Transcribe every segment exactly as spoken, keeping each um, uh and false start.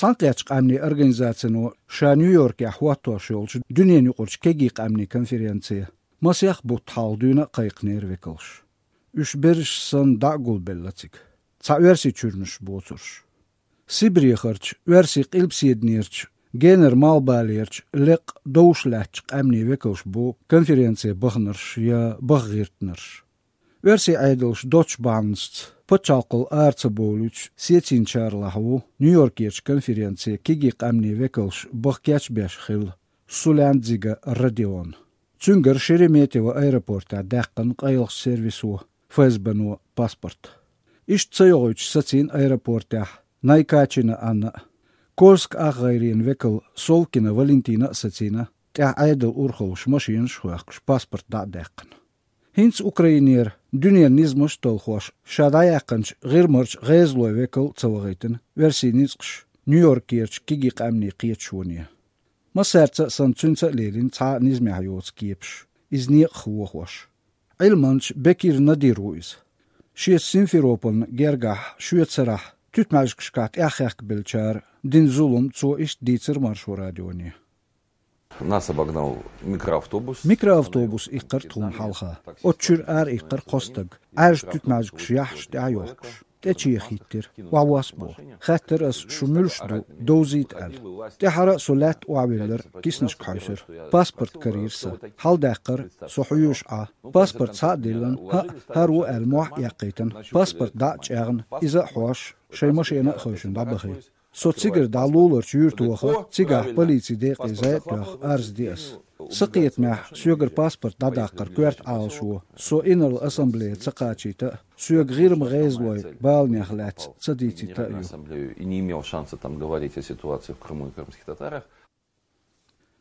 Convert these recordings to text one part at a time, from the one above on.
Цхьаьнакхеттачу къаьмнийн организацино ша Нью-Йоркехь хӀоттош йолчу дуьненан юкъарчу кегий къаьмнийн конференце масех бутт хьалха дуьйна а кхайкхинера векалш. Уьш берриш санна дӀа а гулбелла цига, цхьа Оьрсийчуьрнаш боцурш. Сибрехарчу, Оьрсийн къилбаседанерчу, генара малхбалерчу, лекъа, довш лаьттачу къаьмнийн векалш бу конференце баханарш я баха гӀиртинарш. Оьрсийн Ӏедалш доцчу бахьанашца пачхьалкхал ара ца бовлуьйтуш сецийначарлахь ву Нью-Йоркерчу конференце кегий къаьмнийн векалш баха кечбеш хилла Сулянт-Дзига Родион. Цуьнгара Шереметьево аэропортехь даьккхина къайлахчу сервисо, ФСБ-но, паспорт. Иштта ца йогӀуьйтуш сацийна аэропортехь Найкачина Анна а. Кольск ах гӀайренан векал Совкина Валентина а сацийна, тӀаьхьа Ӏедалан урхаллаш машенаш а хоьхкуш, паспорт дӀа а даьккхина. ХӀинца Украинера дуьненан низамаш а талхош, ша дӀаяьккхинчу ГӀирмарчу гӀезалойн векал а ца вахийтина оьрсийн ницкъаша Нью-Йоркерчу кегий къаьмнийн кхеташоне. Массаьрца а санна, цуьнца а лелийна цхьа а низамехь йоцу кепаш, иза некъах вохош. Ӏилманча Бекир Надир ву иза. Шеца Симферопольна гергахь шоьтан сарахь туьтмӀаьжгашкахь тӀаьхьахаьхкабеллачара дина зулам цо иштта дийцира Маршо радионе. Нас обогнал микроавтобус. Микроавтобус иккхира тхуна хьалха. Оцу чуьра ара иккхира кхо стаг, Ӏаьржа туьтмӀаьжгаш яхьаш тӀаьхьа йохкуш. ТӀечеха хӀиттира, охьавосса боху. Хаьттира ас, шу муьлш ду, довзийта аьлла. ТӀаьхьара а со лаьтта охьавиллира, киснашка хьаьвсира. Паспорт карийра сан. Хьаладаьккхира, со хьоьжуш Ӏа. Паспорт схьа а диллина, хӀаъ, хӀара ву аьлла, мохь а эккхийтина. Паспорт дӀа а чӀагӀна, иза а хьош, шайн машена а хевшина дӀабахи. Со цигара дӀа луларчу юьрта ваха, цигахь полицин декъе зӀе а тоьхна, арз ди ас. Сан кхетамехь, соьгара паспорт дӀадаккхар коьрта Ӏалашо, со инарла ассамблее ца кхачийта а, соьга ГӀирма гӀезалойн баланех лаьцна ца дийцийта а ю. Ассамблею и не имел шанса там говорить о ситуации в Крыму и крымских татарах.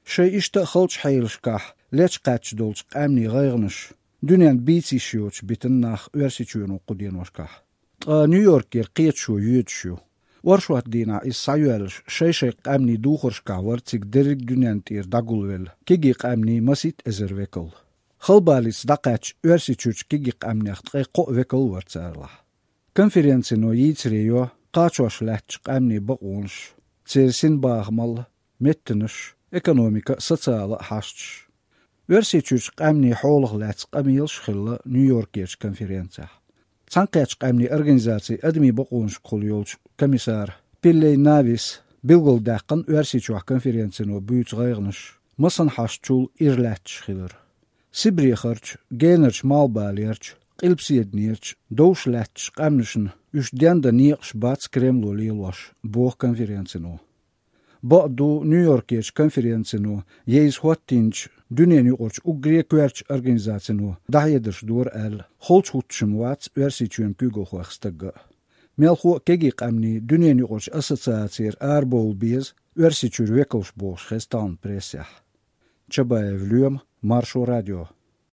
Шайн иштта а халчу хьелашкахь лечкъаьдча долчу къаьмнийн гӀайгӀанаш дуьненна бийца йиш йоцуш битина нах Оьрсийчоьно кху деношкахь. Ткъа Нью-Йоркера кхеташо йоьдуш ю. Оршот дийнахь иза схьайоьллуш, шай-шай къаьмнийн духаршкахь вара цига дерриг дуьненна тӀера дӀагулвелла кегий къаьмнийн масийтта эзар векал. Халбалица дӀакхаьчча, Оьрсийчуьрчу кегий къаьмнех ткъе кхоъ векал вара царалахь. Конференцино йийцаре йо кхачош лаьттачу къаьмнийн бакъонаш, церан синбахамалла, меттанаш, экономика а, социала а хьашташ. Оьрсийчуьрчу къаьмнийн хьолах лаьцна къамелаш а хилла Нью-Йоркерчу конференцехь. Цхьаьнакхеттачу къаьмнийн организацин адамийн бакъонашкахула йолчу комиссара Пиллей Навис билгалдаьккхина Оьрсийчохь конференцино буьйцу гӀайгӀанаш, масанхьашчул ира лаьтташ хилар. Сибрехарчу, генарчу малхбалерчу, къилбаседанерчу, довш лаьттачу къаьмнашна уьш дендан некъаш бац Кремло лелош, боху конференцино. Бакъ ду, Нью-Йоркерчу конференцино я иза хӀоттийначу дуьненан юкъарчу уггаре а коьртачу организацино дӀахьедарш дора аьлла, холчу хӀуттуш-м вац Оьрсийчоьнан куьйгалхойх стагга а. Мелхо а кегий къаьмнийн дуьненан юкъарчу ассоциацера арабовла беза Оьрсийчуьра векалш бохуш хеза тахана прессехь. Чабаев Лоьма, Маршо радио.